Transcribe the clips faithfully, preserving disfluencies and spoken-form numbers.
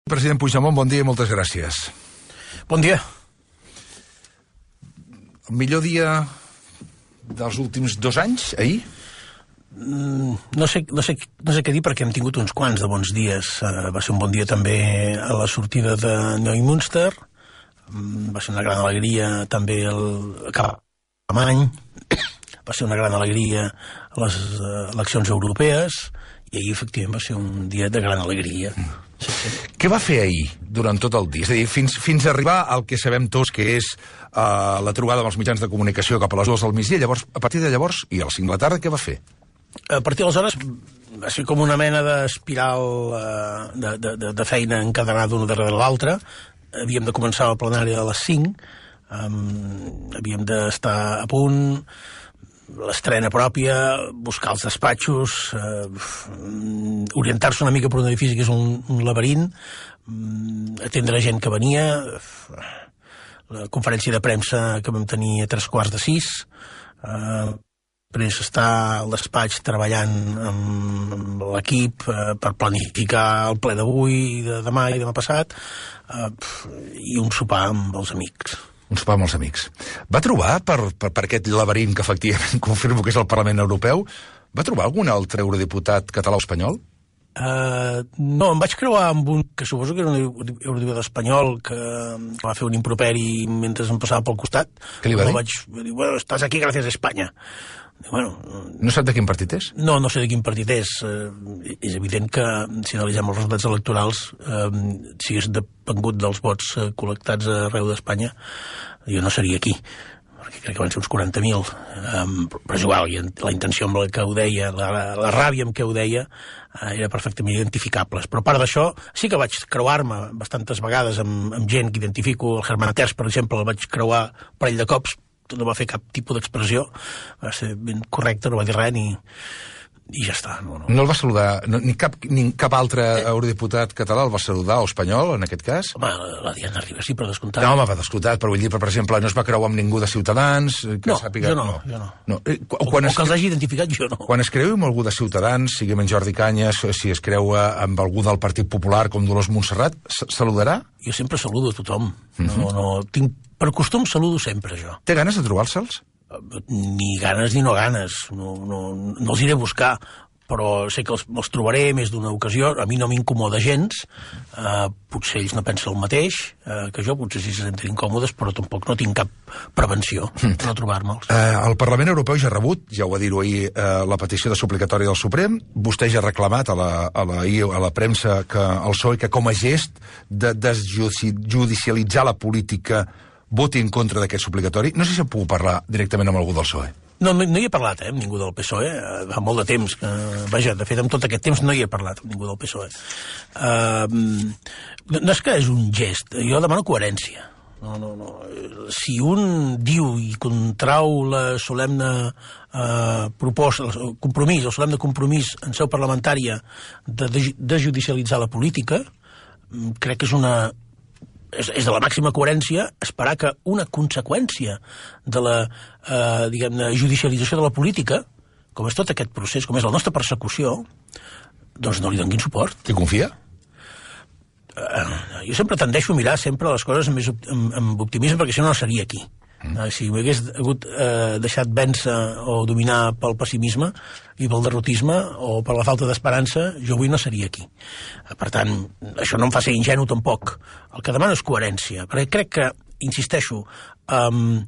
President Puigdemont, bon dia i moltes gràcies. Bon dia. El millor dia dels últims dos anys, ahir? Mm, no, sé, no, sé, no sé què dir perquè hem tingut uns quants de bons dies. Uh, va ser un bon dia també a la sortida de Neumünster. Mm, va ser una gran alegria també el cap d'any. Va ser una gran alegria a les uh, eleccions europees i ahir efectivament va ser un dia de gran alegria. Mm. Sí, sí. Què va fer ahir durant tot el dia? És a dir, fins, fins a arribar al que sabem tots que és uh, la trobada amb els mitjans de comunicació cap a les dues del migdia. Llavors, a partir de llavors i a les cinc de la tarda, què va fer? A partir d'aleshores va ser com una mena d'espiral uh, de, de, de, de feina encadenada d'una darrere l'altra. Havíem de començar el plenari a les cinc, um, havíem d'estar a punt, l'estrena pròpia, buscar els despatxos, eh, orientar-se una mica per un edifici que és un, un laberint, atendre gent que venia, la conferència de premsa que vam tenir a tres quarts de sis, eh, després estar al despatx treballant amb l'equip eh, per planificar el ple d'avui, de demà i demà passat, eh, i un sopar amb els amics. Un sopar amb els amics. Va trobar, per, per, per aquest laberint que efectivament confirmo que és el Parlament Europeu, va trobar algun altre eurodiputat català o espanyol? Uh, no, em vaig creuar amb un que suposo que era un eurodiputat espanyol que va fer un improperi mentre em passava pel costat. Què li va dir? Vaig dir, bueno, estàs aquí gràcies a Espanya. Bueno, no sap de quin partit és? No, no sé de quin partit és. Eh, és evident que si analitzem els resultats electorals, eh, si hagués depengut dels vots eh, col·lectats arreu d'Espanya, jo no seria aquí, perquè crec que van ser uns quaranta mil. Eh, però és igual, la intenció amb la que ho deia, la, la, la ràbia amb què ho deia, eh, era perfectament identificables. Però a part d'això, sí que vaig creuar-me bastantes vegades amb, amb gent que identifico. El Herman Terç, per exemple, el vaig creuar un parell de cops, no va fer cap tipus d'expressió, va ser ben correcte, no va dir res ni, i ja està. No, no. no el va saludar, no, ni, cap, ni cap altre eh. eurodiputat català el va saludar, o espanyol, en aquest cas? Home, la Diana Rivas sí, per descomptat. No, home, va descomptat, però vull dir, per exemple, no es va creuar amb ningú de Ciutadans? Que no, sàpiga... jo no, no, jo no. no. Eh, o, quan o que els hagi identificat, jo no. Quan es creu amb algú de Ciutadans, sigui en Jordi Cañas, si es creua amb algú del Partit Popular, com Dolors Montserrat, saludarà? Jo sempre saludo a tothom. Uh -huh. No, no, tinc, per costum saludo sempre, jo. Té ganes de trobar-se'ls? Ni ganes ni no ganes, no, no, no els iré a buscar, però sé que els, els trobaré més d'una ocasió. A mi no m'incomoda gens, eh, potser ells no pensen el mateix eh, que jo, potser sí se senten incòmodes, però tampoc no tinc cap prevenció per no trobar-me'ls. Eh, el Parlament Europeu ja ha rebut, ja ho va dir-ho ahir, eh, la petició de suplicatòria del Suprem. Vostè ja ha reclamat a la, a la, a la premsa que el P S O E que com a gest de desjudicialitzar la política voti en contra d'aquest suplicatori. No sé si puc parlar directament amb algú del P S O E. No, no, no hi he parlat, eh, amb ningú del P S O E. Fa molt de temps. Que, vaja, de fet, amb tot aquest temps no hi he parlat amb ningú del P S O E. Uh, no és que és un gest. Jo demano coherència. No, no, no. Si un diu i contrau la solemne uh, proposta, el compromís, el solemne compromís en seu parlamentària de desjudicialitzar la política, crec que és una... És, és de la màxima coherència esperar que una conseqüència de la, eh, diguem-ne, judicialització de la política, com és tot aquest procés, com és la nostra persecució, doncs no li donin suport. T'hi confia? Eh, jo sempre tendeixo a mirar sempre les coses amb, més, amb, amb optimisme, perquè si no no seria aquí. Mm. Eh, si m'hagués hagut eh, deixat vèncer o dominar pel pessimisme i pel derrotisme o per la falta d'esperança, jo avui no seria aquí. Eh, per tant, això no em fa ser ingenu tampoc. El que demano és coherència, perquè crec que, insisteixo, um,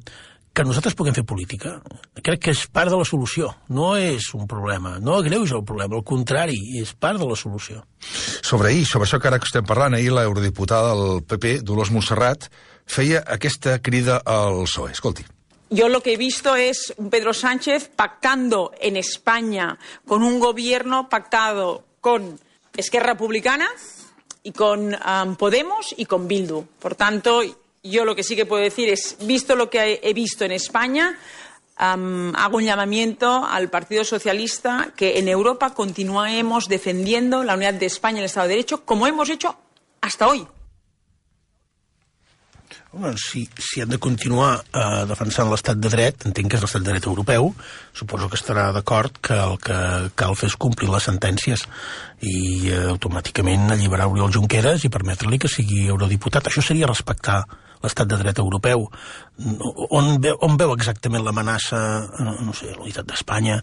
que nosaltres puguem fer política, crec que és part de la solució, no és un problema, no agreuja el problema, al contrari, és part de la solució. Sobre ahir, sobre això que ara que estem parlant, ahir l'eurodiputada del P P, Dolors Montserrat, feia aquesta crida al P S O E. Escolti. Yo lo que he visto es un Pedro Sánchez pactando en España con un gobierno pactado con Esquerra Republicana y con um, Podemos y con Bildu. Por tanto, yo lo que sí que puedo decir es, visto lo que he visto en España, um, hago un llamamiento al Partido Socialista que en Europa continuemos defendiendo la unidad de España y el Estado de Derecho como hemos hecho hasta hoy. Home, si, si han de continuar eh, defensant l'estat de dret, entenc que és l'estat de dret europeu, suposo que estarà d'acord que el que cal fer és complir les sentències i eh, automàticament alliberar Oriol Junqueras i permetre-li que sigui eurodiputat. Això seria respectar l'estat de dret europeu. On veu, on veu exactament l'amenaça, no sé, la unitat d'Espanya,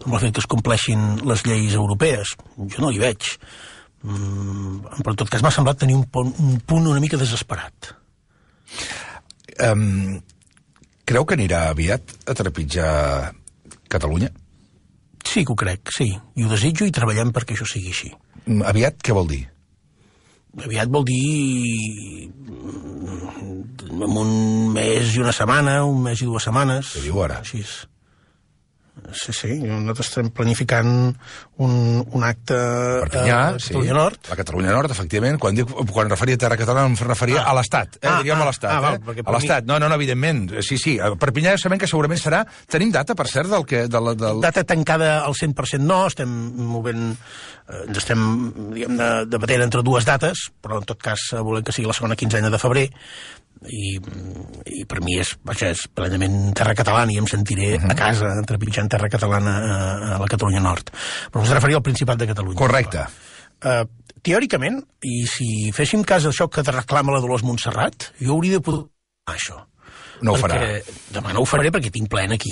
amb el fet que es compleixin les lleis europees? Jo no hi veig. Mm, però en tot cas m'ha semblat tenir un punt, un punt una mica desesperat. Um, creu que anirà aviat a trepitjar Catalunya? Sí que ho crec, sí. I ho desitjo i treballem perquè això sigui així. Aviat què vol dir? Aviat vol dir en un mes i una setmana, un mes i dues setmanes. Què diu ara? Així és. Sí, sí, nosaltres estem planificant un, un acte Perpinyà, a Catalunya sí. Nord. La Catalunya Nord, efectivament. Quan, dic, quan referia a Terra Catalana em referia ah. a l'Estat, eh? Ah, diríem ah, a l'Estat. ah, val, eh? A l'Estat, mi... no, no, no, evidentment. Sí, sí, a Perpinyà sabem que segurament serà... Tenim data, per cert, del que... Del, del... Data tancada al cent per cent no, estem movent... Eh, ens estem, diguem, debatent entre dues dates, però en tot cas volem que sigui la segona quinzena de febrer, i, i per mi és, vaja, és plenament terra catalana i em sentiré uh -huh. a casa entrepitjant terra catalana a, a la Catalunya Nord. Però us referia al Principat de Catalunya. Correcte. Uh, teòricament, i si féssim cas d'això que reclama la Dolors Montserrat, jo hauria de poder això. No ho perquè, farà. Demà no ho faré perquè tinc plen aquí.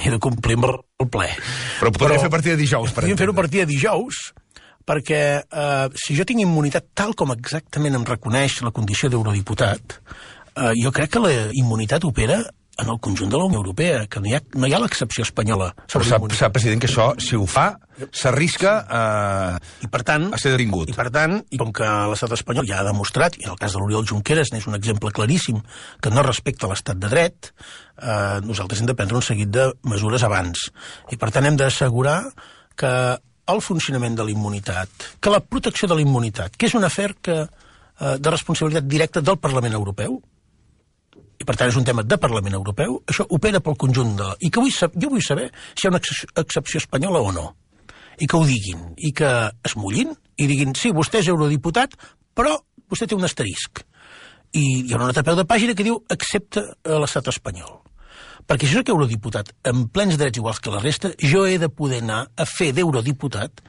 He de complir amb el ple. Però podria fer a partir de dijous, per podríem fer-ho a partir de dijous, perquè eh, si jo tinc immunitat tal com exactament em reconeix la condició d'eurodiputat, eh, jo crec que la immunitat opera en el conjunt de la Unió Europea, que no hi ha, no hi ha l'excepció espanyola. Però sap, sap, president, que això, si ho fa, s'arrisca a, I per tant, a ser detingut. I per tant, i com que l'estat espanyol ja ha demostrat, i en el cas de l'Oriol Junqueras n'és un exemple claríssim, que no respecta l'estat de dret, eh, nosaltres hem de prendre un seguit de mesures abans. I per tant hem d'assegurar que el funcionament de la immunitat, que la protecció de la immunitat, que és un afer que, eh, de responsabilitat directa del Parlament Europeu, i per tant és un tema de Parlament Europeu, això opera pel conjunt de... I que vull saber, jo vull saber si hi ha una excepció espanyola o no. I que ho diguin, i que es mullin, i diguin, sí, vostè és eurodiputat, però vostè té un asterisc. I hi ha una nota a peu de pàgina que diu accepta l'estat espanyol. Perquè si soc eurodiputat amb plens drets iguals que la resta, jo he de poder anar a fer d'eurodiputat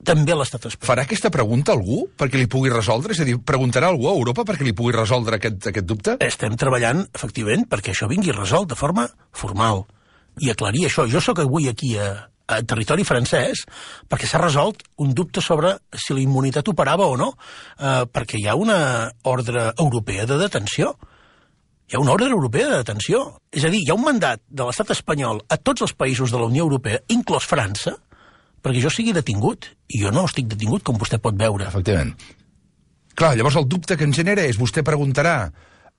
també a l'estat espanyol. Farà aquesta pregunta algú perquè li pugui resoldre? És a dir, preguntarà algú a Europa perquè li pugui resoldre aquest, aquest dubte? Estem treballant, efectivament, perquè això vingui resolt de forma formal i aclarir això. Jo sóc avui aquí a, a territori francès perquè s'ha resolt un dubte sobre si la immunitat operava o no, eh, perquè hi ha una ordre europea de detenció. Hi ha una ordre europea de detenció. És a dir, hi ha un mandat de l'estat espanyol a tots els països de la Unió Europea, inclòs França, perquè jo sigui detingut. I jo no estic detingut, com vostè pot veure. Efectivament. Clar, llavors el dubte que ens genera és vostè preguntarà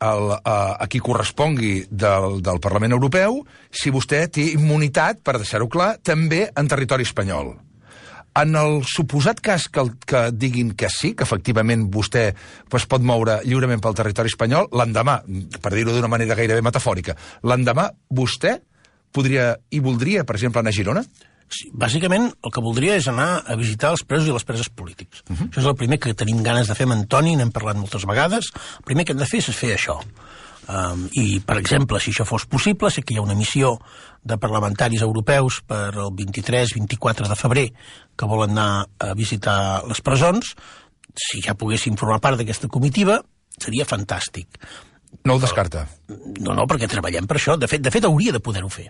el, a, a qui correspongui del, del Parlament Europeu si vostè té immunitat, per deixar-ho clar, també en territori espanyol. En el suposat cas que, que diguin que sí, que efectivament vostè pues, pot moure lliurement pel territori espanyol, l'endemà, per dir-ho d'una manera gairebé metafòrica, l'endemà vostè podria i voldria, per exemple, anar a Girona? Sí, bàsicament el que voldria és anar a visitar els presos i les preses polítics. Uh -huh. Això és el primer que tenim ganes de fer amb Antoni, n'hem parlat moltes vegades. El primer que hem de fer és fer això. Um, I, per exemple, si això fos possible, sé que hi ha una missió de parlamentaris europeus per el vint-i-tres vint-i-quatre de febrer que volen anar a visitar les presons. Si ja poguéssim formar part d'aquesta comitiva, seria fantàstic. No ho descarta? No, no, perquè treballem per això. De fet, de fet hauria de poder-ho fer.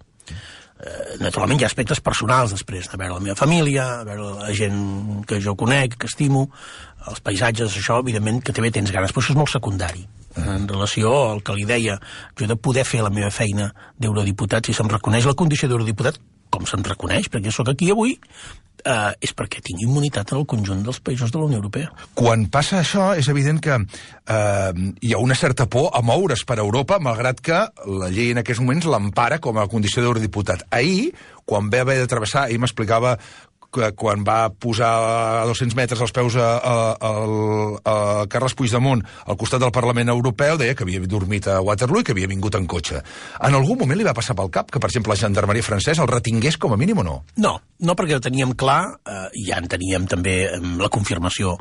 Uh, naturalment hi ha aspectes personals després, a veure la meva família, a veure la gent que jo conec, que estimo, els paisatges, això, evidentment, que també tens ganes, però això és molt secundari. En relació al que li deia, jo he de poder fer la meva feina d'eurodiputat, si se'm reconeix la condició d'eurodiputat, com se'm reconeix, perquè sóc aquí avui, eh, és perquè tinc immunitat en el conjunt dels països de la Unió Europea. Quan passa això, és evident que eh, hi ha una certa por a moure's per Europa, malgrat que la llei en aquests moments l'empara com a condició d'eurodiputat. Ahir, quan va haver de travessar, ahir m'explicava que quan va posar a dos-cents metres als peus a, a, a, a Carles Puigdemont al costat del Parlament Europeu, deia que havia dormit a Waterloo i que havia vingut en cotxe. En algun moment li va passar pel cap que, per exemple, la gendarmeria francesa el retingués com a mínim o no? No, no perquè ho teníem clar, eh, i ja en teníem també la confirmació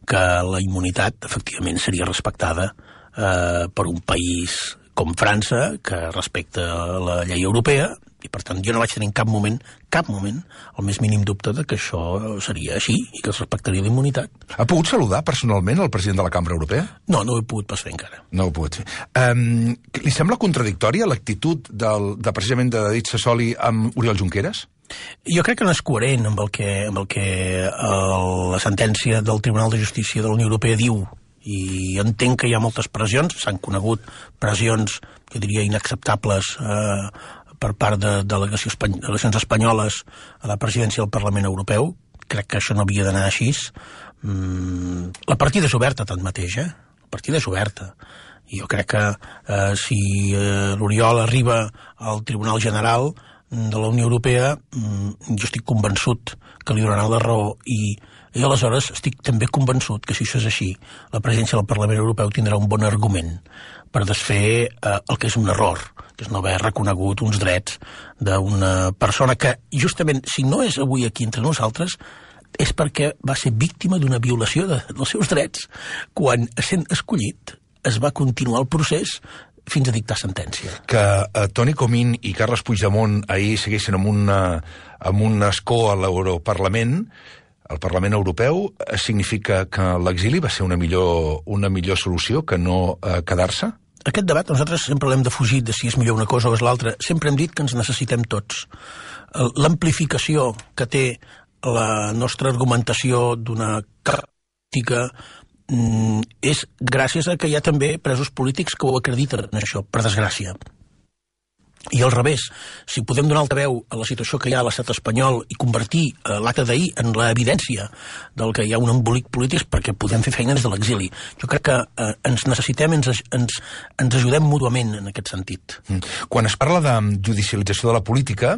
que la immunitat, efectivament, seria respectada eh, per un país com França, que respecta la llei europea, i per tant jo no vaig tenir en cap moment, cap moment, el més mínim dubte de que això seria així i que es respectaria la immunitat. Ha pogut saludar personalment el president de la Cambra Europea? No, no ho he pogut pas fer encara. No ho he pogut fer. Um, li sembla contradictòria l'actitud del, de precisament de David Sassoli amb Oriol Junqueras? Jo crec que no és coherent amb el que, amb el que el, la sentència del Tribunal de Justícia de la Unió Europea diu, i entenc que hi ha moltes pressions, s'han conegut pressions, jo diria, inacceptables eh, per part de delegacions espany espanyoles a la presidència del Parlament Europeu. Crec que això no havia d'anar així. Mm, la partida és oberta, tanmateix, eh? La partida és oberta. I jo crec que eh, si eh, l'Oriol arriba al Tribunal General de la Unió Europea, mm, jo estic convençut que li donaran la raó i I aleshores estic també convençut que si això és així, la presidència del Parlament Europeu tindrà un bon argument per desfer eh, el que és un error, que és no haver reconegut uns drets d'una persona que, justament, si no és avui aquí entre nosaltres, és perquè va ser víctima d'una violació de, dels seus drets. Quan, sent escollit, es va continuar el procés fins a dictar sentència. Que eh, Toni Comín i Carles Puigdemont ahir segueixen amb, una, amb un escó a l'Europarlament, al Parlament Europeu, significa que l'exili va ser una millor, una millor solució que no eh, quedar-se? Aquest debat nosaltres sempre l'hem defugit de si és millor una cosa o és l'altra. Sempre hem dit que ens necessitem tots. L'amplificació que té la nostra argumentació d'una crítica mm, és gràcies a que hi ha també presos polítics que ho acrediten, això, per desgràcia. I al revés, si podem donar alta veu a la situació que hi ha a l'estat espanyol i convertir eh, l'acte d'ahir en l'evidència del que hi ha un embolic polític perquè podem fer feina des de l'exili. Jo crec que eh, ens necessitem, ens, ens, ens ajudem mútuament en aquest sentit. Quan es parla de judicialització de la política,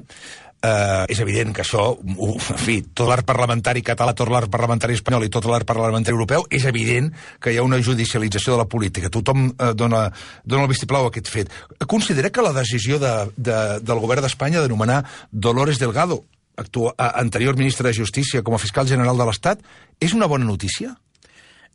Uh, és evident que això, uh, en fi, tot l'art parlamentari català, tot l'art parlamentari espanyol i tot l'art parlamentari europeu, és evident que hi ha una judicialització de la política. Tothom uh, dona, dona el vistiplau a aquest fet. Considera que la decisió de, de, del govern d'Espanya de nomenar Dolores Delgado, actua, anterior ministra de Justícia, com a fiscal general de l'Estat, és una bona notícia?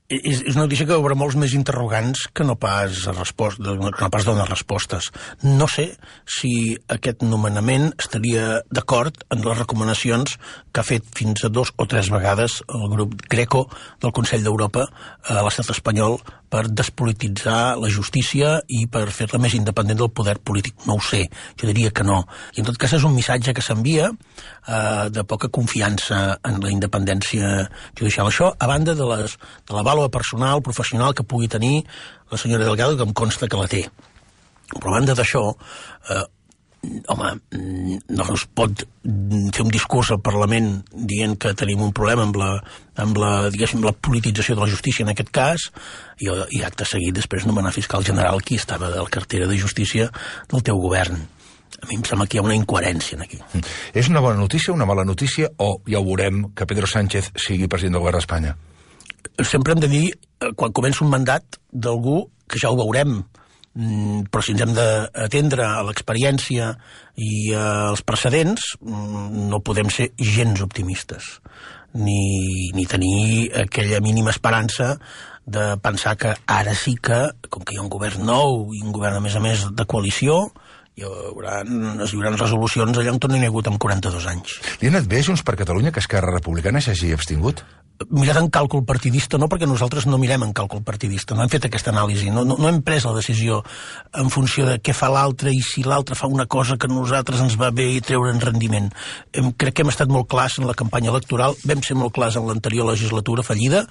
És, és una notícia que obre molts més interrogants que no pas, respost, que no pas donar respostes. No sé si aquest nomenament estaria d'acord en les recomanacions que ha fet fins a dos o tres vegades el grup Greco del Consell d'Europa a l'estat espanyol per despolititzar la justícia i per fer-la més independent del poder polític. No ho sé, jo diria que no. I en tot cas és un missatge que s'envia eh, de poca confiança en la independència judicial. Això, a banda de, les, de la vàlua personal, professional que pugui tenir la senyora Delgado, que em consta que la té. Però a banda d'això, eh, home, no es pot fer un discurs al Parlament dient que tenim un problema amb la, amb la, diguéssim, la politització de la justícia en aquest cas, i, i acte seguit després nomenar fiscal general qui estava de la cartera de justícia del teu govern. A mi em sembla que hi ha una incoherència aquí. És una bona notícia, una mala notícia, o ja ho veurem que Pedro Sánchez sigui president del govern d'Espanya? Sempre hem de dir, quan comença un mandat d'algú, que ja ho veurem, però si ens hem d'atendre a l'experiència i als precedents, no podem ser gens optimistes, ni, ni tenir aquella mínima esperança de pensar que ara sí que, com que hi ha un govern nou i un govern, a més a més, de coalició, hi haurà, es hi haurà resolucions allà on no n'hi ha hagut en quaranta-dos anys. Li ha anat bé Junts per Catalunya que Esquerra Republicana s'hagi abstingut? Mirat en càlcul partidista, no, perquè nosaltres no mirem en càlcul partidista, no hem fet aquesta anàlisi, no, no, no hem pres la decisió en funció de què fa l'altre i si l'altre fa una cosa que a nosaltres ens va bé i treure en rendiment. Hem, crec que hem estat molt clars en la campanya electoral, vam ser molt clars en l'anterior legislatura fallida,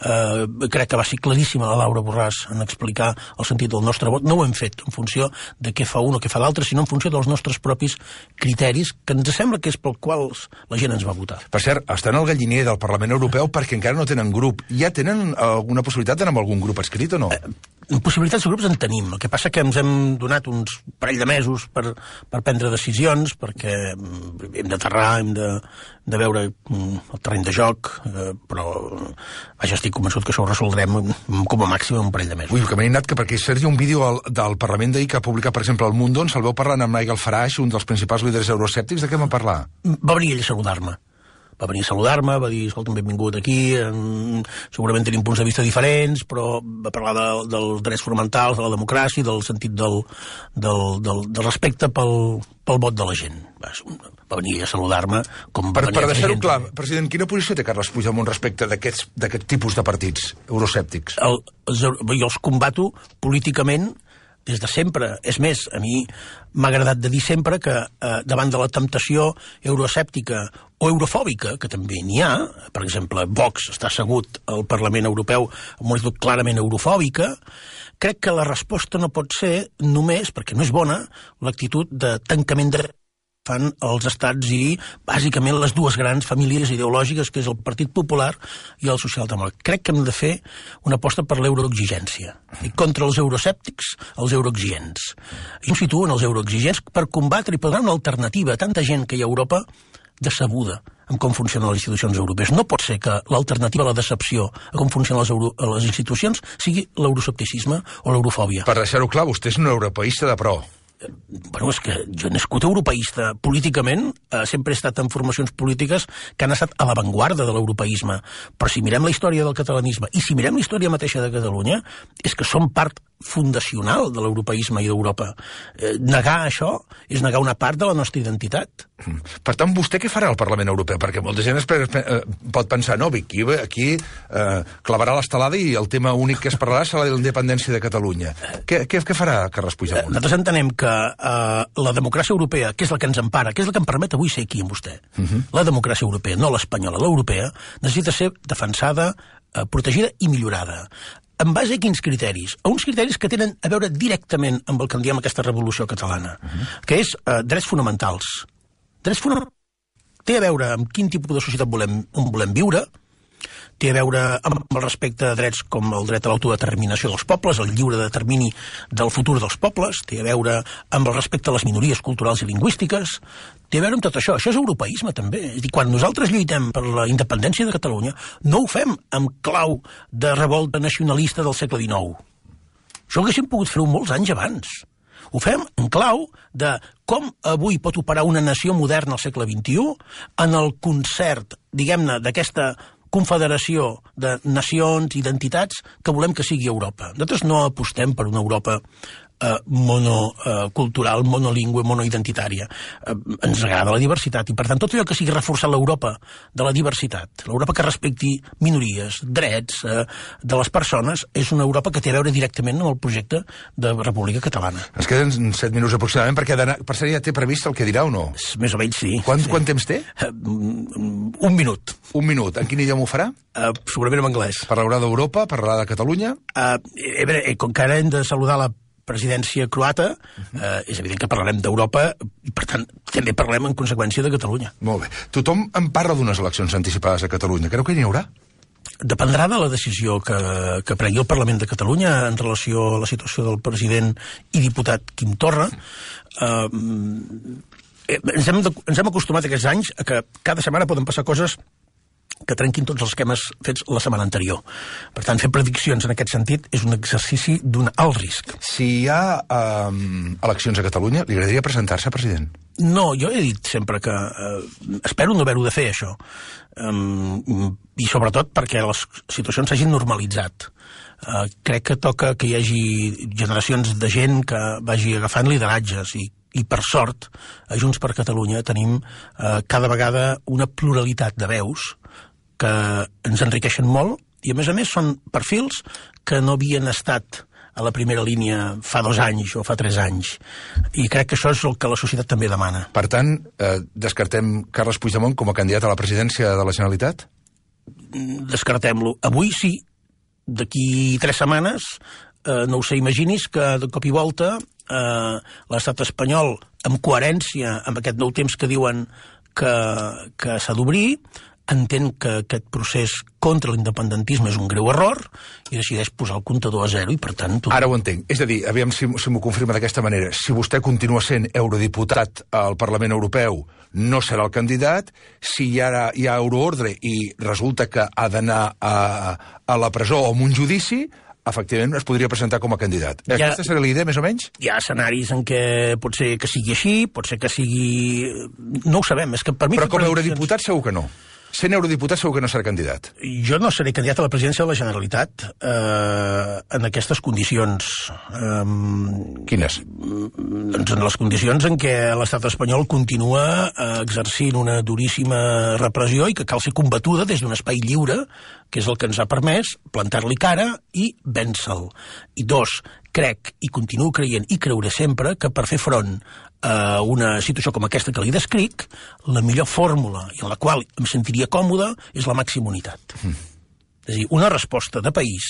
eh, crec que va ser claríssima la Laura Borràs en explicar el sentit del nostre vot, no ho hem fet en funció de què fa un o què fa l'altre, sinó en funció dels nostres propis criteris, que ens sembla que és pel quals la gent ens va votar. Per cert, estan al galliner del Parlament Europeu perquè encara no tenen grup. Ja tenen alguna possibilitat d'anar amb algun grup escrit o no? Eh, possibilitats de grups en tenim. El que passa que ens hem donat uns parell de mesos per, per prendre decisions, perquè hem d'aterrar, hem de, de veure el terreny de joc, eh, però vaja, estic convençut que això ho resoldrem com a màxim en un parell de mesos. Ui, que m'he anat que perquè Sergi, un vídeo al, del Parlament d'ahir que ha publicat, per exemple, El Mundo, ens el veu parlant amb Nigel Farage, un dels principals líders euroscèptics. De què va parlar? Va venir ell a saludar-me. va venir a saludar-me, va dir, escolta, benvingut aquí, en... segurament tenim punts de vista diferents, però va parlar de, dels drets fonamentals, de la democràcia, del sentit del, del, del, del respecte pel, pel vot de la gent. Va, va venir a saludar-me com va per, venir per a deixar-ho gent. clar, president, quina posició té Carles Puigdemont respecte d'aquest tipus de partits euroscèptics? El, els, jo els combato políticament des de sempre. És més, a mi m'ha agradat de dir sempre que eh, davant de la temptació euroescèptica o eurofòbica, que també n'hi ha, per exemple, Vox està assegut al Parlament Europeu amb una actitud clarament eurofòbica, crec que la resposta no pot ser només, perquè no és bona, l'actitud de tancament de fan els estats i, bàsicament, les dues grans famílies ideològiques, que és el Partit Popular i el Socialdemòcrata. Crec que hem de fer una aposta per l'euroexigència. I contra els euroscèptics, els euroexigents. Jo em situo en els euroexigents per combatre i per donar una alternativa a tanta gent que hi ha a Europa decebuda en com funcionen les institucions europees. No pot ser que l'alternativa a la decepció a com funcionen les, euro, les institucions sigui l'euroscepticisme o l'eurofòbia. Per deixar-ho clar, vostè és un europeista de pro. Bueno, és que jo he nascut europeista. Políticament, eh, sempre he estat en formacions polítiques que han estat a l'avantguarda de l'europeisme. Però si mirem la història del catalanisme i si mirem la història mateixa de Catalunya, és que som part fundacional de l'europeisme i d'Europa. Eh, negar això és negar una part de la nostra identitat. Per tant, vostè què farà al Parlament Europeu? Perquè molta gent es, eh, pot pensar, no, aquí, aquí eh, clavarà l'estelada i el tema únic que es parlarà serà la independència de Catalunya. Què, què, què farà Carles Puigdemont? Nosaltres entenem que eh, la democràcia europea, que és la que ens empara, que és la que em permet avui ser aquí amb vostè, uh-huh. La democràcia europea, no l'espanyola, l'europea, necessita ser defensada, eh, protegida i millorada. En base a quins criteris? A uns criteris que tenen a veure directament amb el que en diem aquesta revolució catalana, uh-huh. que és eh, drets fonamentals. Drets fonamentals té a veure amb quin tipus de societat volem, on volem viure, té a veure amb el respecte a drets com el dret a l'autodeterminació dels pobles, el lliure determini del futur dels pobles, té a veure amb el respecte a les minories culturals i lingüístiques, té a veure amb tot això. Això és europeisme, també. És a dir, quan nosaltres lluitem per la independència de Catalunya, no ho fem amb clau de revolta nacionalista del segle dinou. Això ho haguéssim pogut fer molts anys abans. Ho fem en clau de com avui pot operar una nació moderna al segle vint-i-u en el concert, diguem-ne, d'aquesta confederació de nacions, identitats, que volem que sigui Europa. Nosaltres no apostem per una Europa eh, monocultural, eh, monolingüe, monoidentitària. Eh, ens agrada la diversitat i, per tant, tot allò que sigui reforçar l'Europa de la diversitat, l'Europa que respecti minories, drets eh, de les persones, és una Europa que té a veure directament amb el projecte de República Catalana. Ens queden set minuts aproximadament, perquè per ser ja té previst el que dirà o no? Més o menys sí. Quant, sí. quant temps té? Uh, un minut. Un minut. En quin idioma ho farà? Uh, segurament en anglès. Parlarà d'Europa, parlarà de Catalunya? Uh, eh, bé, com que ara hem de saludar la presidència croata, eh, és evident que parlarem d'Europa i, per tant, també parlem en conseqüència de Catalunya. Molt bé. Tothom en parla d'unes eleccions anticipades a Catalunya. Creu que n'hi haurà? Dependrà de la decisió que, que prengui el Parlament de Catalunya en relació a la situació del president i diputat Quim Torra. Eh, ens, hem de, ens hem acostumat aquests anys a que cada setmana poden passar coses que trenquin tots els esquemes fets la setmana anterior. Per tant, fer prediccions en aquest sentit és un exercici d'un alt risc. Si hi ha um, eleccions a Catalunya, li agradaria presentar-se, president? No, jo he dit sempre que eh, espero no haver-ho de fer, això. Um, I sobretot perquè les situacions s'hagin normalitzat. Uh, crec que toca que hi hagi generacions de gent que vagi agafant lideratges i i per sort, a Junts per Catalunya tenim eh, cada vegada una pluralitat de veus que ens enriqueixen molt i, a més a més, són perfils que no havien estat a la primera línia fa dos anys o fa tres anys. I crec que això és el que la societat també demana. Per tant, eh, descartem Carles Puigdemont com a candidat a la presidència de la Generalitat? Descartem-lo. Avui sí. D'aquí tres setmanes, eh, no ho sé, imaginis que de cop i volta eh, l'estat espanyol, amb coherència amb aquest nou temps que diuen que, que s'ha d'obrir, entén que aquest procés contra l'independentisme és un greu error i decideix posar el comptador a zero i, per tant... Tot... Ara ho entenc. És a dir, aviam si, si m'ho confirma d'aquesta manera. Si vostè continua sent eurodiputat al Parlament Europeu, no serà el candidat. Si hi ha, hi ha euroordre i resulta que ha d'anar a, a la presó o amb un judici, efectivament es podria presentar com a candidat. Ja, aquesta serà la idea, més o menys? Hi ha escenaris en què pot ser que sigui així, pot ser que sigui... No ho sabem, és que per mi... Però com a eurodiputat segur que no. Sent eurodiputat segur que no serà candidat. Jo no seré candidat a la presidència de la Generalitat eh, en aquestes condicions. Eh, Quines? Doncs en les condicions en què l'estat espanyol continua eh, exercint una duríssima repressió i que cal ser combatuda des d'un espai lliure, que és el que ens ha permès plantar-li cara i vèncer-lo. I dos, crec i continuo creient i creuré sempre que per fer front a una situació com aquesta que li descric, la millor fórmula i en la qual em sentiria còmode és la màxima unitat. Mm. És a dir, una resposta de país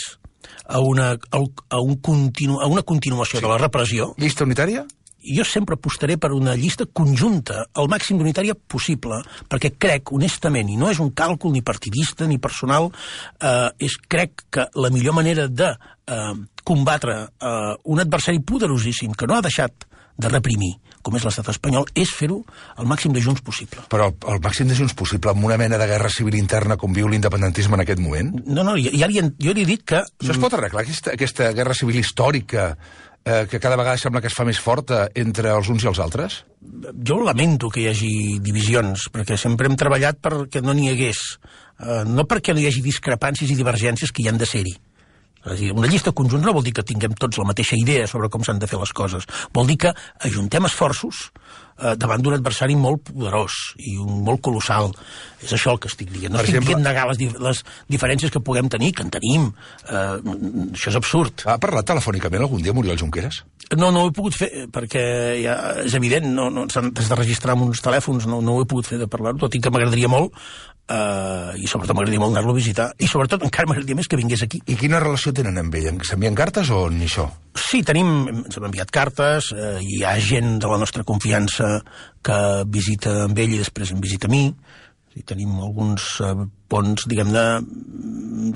a una, a un continu, a una continuació sí. de la repressió. Llista unitària? Jo sempre apostaré per una llista conjunta, al màxim d'unitària possible, perquè crec, honestament, i no és un càlcul ni partidista ni personal, eh, és crec que la millor manera de eh, combatre eh, un adversari poderosíssim que no ha deixat de reprimir, com és l'estat espanyol, és fer-ho al màxim de junts possible. Però el màxim de junts possible, amb una mena de guerra civil interna com viu l'independentisme en aquest moment? No, no, ja li, jo li he dit que... Això es pot arreglar, aquesta, aquesta guerra civil històrica eh, que cada vegada sembla que es fa més forta entre els uns i els altres? Jo lamento que hi hagi divisions, perquè sempre hem treballat perquè no n'hi hagués. Eh, no perquè no hi hagi discrepàncies i divergències que hi han de ser-hi. És a dir, una llista conjunta no vol dir que tinguem tots la mateixa idea sobre com s'han de fer les coses. Vol dir que ajuntem esforços eh, davant d'un adversari molt poderós i un molt colossal. És això el que estic dient. No per estic exemple... dient negar les, dif les diferències que puguem tenir, que en tenim. Eh, això és absurd. Ha parlat telefònicament algun dia Oriol Junqueras? No, no ho he pogut fer, perquè ja és evident, no, no, s'han de registrar amb uns telèfons, no, no ho he pogut fer de parlar-ho, tot i que m'agradaria molt, Uh, i sobretot m'agradaria molt anar-lo a visitar i sobretot encara m'agradaria més que vingués aquí. I quina relació tenen amb ell? S'envien cartes o ni això? Sí, tenim, ens hem enviat cartes, uh, hi ha gent de la nostra confiança que visita amb ell i després em visita a mi, i tenim alguns uh, ponts, diguem-ne,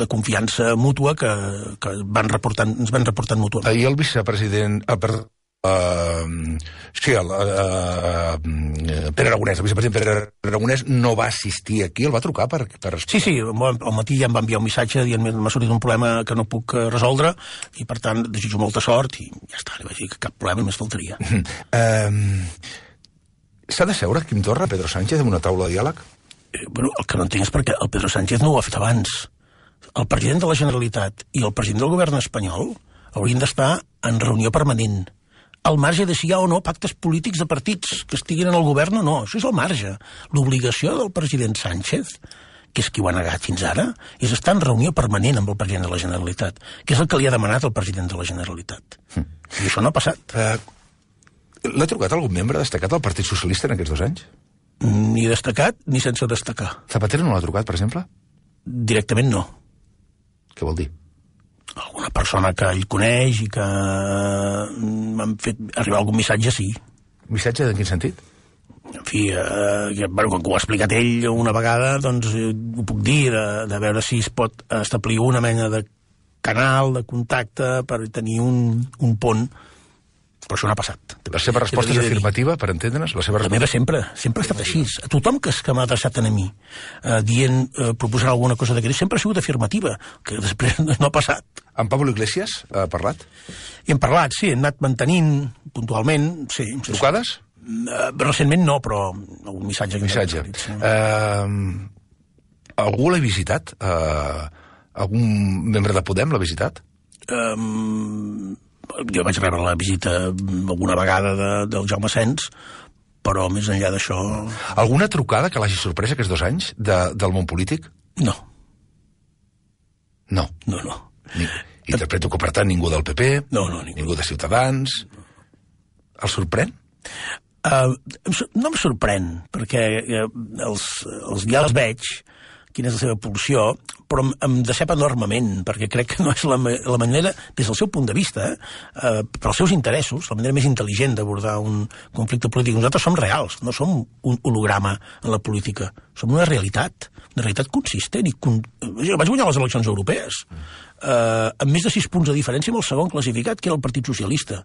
de confiança mútua que, que van reportant, ens van reportant mútuament. Ahir el vicepresident... Ah, perdó. Uh, sí, el, uh, uh, Pere Aragonès, el vicepresident Pere Aragonès no va assistir aquí, el va trucar per, per... Sí, sí, al matí ja em va enviar un missatge dient que m'ha sortit un problema que no puc resoldre i per tant desitjo molta sort i ja està, li vaig dir que cap problema només faltaria. Uh, S'ha de seure Quim Torra, Pedro Sánchez, en una taula de diàleg? Eh, bueno, el que no entenc és perquè el Pedro Sánchez no ho ha fet abans. El president de la Generalitat i el president del govern espanyol haurien d'estar en reunió permanent, al marge de si hi ha o no pactes polítics de partits que estiguin en el govern o no. Això és el marge. L'obligació del president Sánchez, que és qui ho ha negat fins ara, és estar en reunió permanent amb el president de la Generalitat, que és el que li ha demanat el president de la Generalitat. Mm. I això no ha passat. Uh, L'ha trucat algun membre destacat del Partit Socialista en aquests dos anys? Ni destacat ni sense destacar. Zapatero no l'ha trucat, per exemple? Directament no. Què vol dir? Alguna persona que ell coneix i que m'han fet arribar algun missatge, sí. Missatge en quin sentit? En fi, eh, que, bueno, com que ho ha explicat ell una vegada, doncs eh, ho puc dir, de, de veure si es pot establir una mena de canal, de contacte, per tenir un, un pont. Però això no ha passat. La seva resposta és afirmativa, per entendre'ns? La, seva la meva sempre, sempre ha estat així. A tothom que, que m'ha adreçat a mi, eh, dient, eh, proposant alguna cosa d'aquest, sempre ha sigut afirmativa, que després no ha passat. En Pablo Iglesias ha parlat? I hem parlat, sí, hem anat mantenint puntualment, sí. Trucades? Uh, recentment no, però algun missatge. Missatge. Sí. Uh, algú l'ha visitat? Uh, algun membre de Podem l'ha visitat? Um, jo vaig rebre la visita alguna vegada de, del Jaume Sens, però més enllà d'això... Alguna trucada que l'hagi sorprès aquests dos anys de, del món polític? No. No? No, no. Ni, interpreto que, per tant, ningú del P P, no, no, ningú. ningú de Ciutadans... El sorprèn? Uh, no em sorprèn, perquè uh, els, els ja els veig, quina és la seva pulsió, però em, em decep enormement, perquè crec que no és la, la manera, des del seu punt de vista, eh, per als seus interessos, la manera més intel·ligent d'abordar un conflicte polític. Nosaltres som reals, no som un holograma en la política, som una realitat, una realitat consistent. I con... Jo vaig guanyar les eleccions europees, eh, amb més de sis punts de diferència amb el segon classificat, que era el Partit Socialista.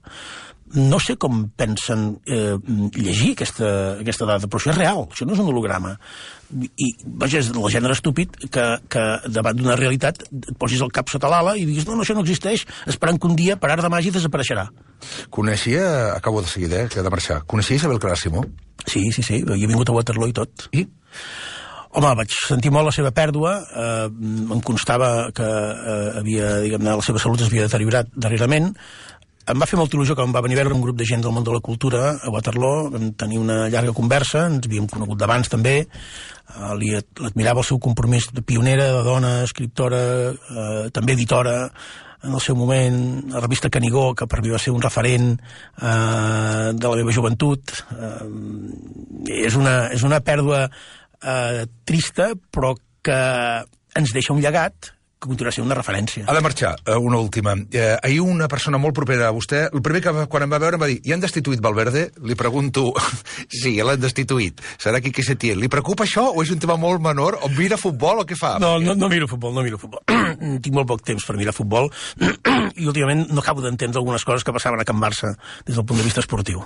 No sé com pensen eh, llegir aquesta, aquesta dada, però això és real, això no és un holograma. I, vaja, és el gènere estúpid que, que davant d'una realitat et posis el cap sota l'ala i diguis, no, no, això no existeix, esperant que un dia, per art de màgia, desapareixerà. Coneixia, acabo de seguida, eh, que he de marxar, coneixia Isabel Clara Simó? Sí, sí, sí, jo he vingut a Waterloo i tot. I? Home, vaig sentir molt la seva pèrdua, eh, em constava que eh, havia, diguem-ne, la seva salut es havia deteriorat darrerament. Em va fer molta il·lusió que em va venir a veure un grup de gent del món de la cultura a Waterloo, vam tenir una llarga conversa, ens havíem conegut d'abans també, eh, li admirava el seu compromís de pionera, de dona, escriptora, eh, també editora, en el seu moment, la revista Canigó, que per mi va ser un referent eh, de la meva joventut. Eh, és, una, és una pèrdua eh, trista, però que ens deixa un llegat que continuarà sent una referència. Ha de marxar, una última. Eh, ahir una persona molt propera a vostè, el primer que quan em va veure em va dir, i han destituït Valverde? Li pregunto, sí, l'han destituït. Serà qui que se tiene. Li preocupa això o és un tema molt menor? O mira futbol o què fa? No, no, no miro futbol, no miro futbol. Tinc molt poc temps per mirar futbol i últimament no acabo d'entendre algunes coses que passaven a Can Barça des del punt de vista esportiu.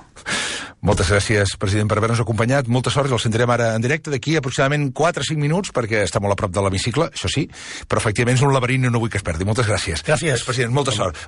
Moltes gràcies, president, per haver-nos acompanyat. Molta sort, el sentirem ara en directe d'aquí aproximadament quatre o cinc minuts, perquè està molt a prop de l'hemicicle, això sí, però efectivament és un laberint i no vull que es perdi. Moltes gràcies. Gràcies. President, molta sort.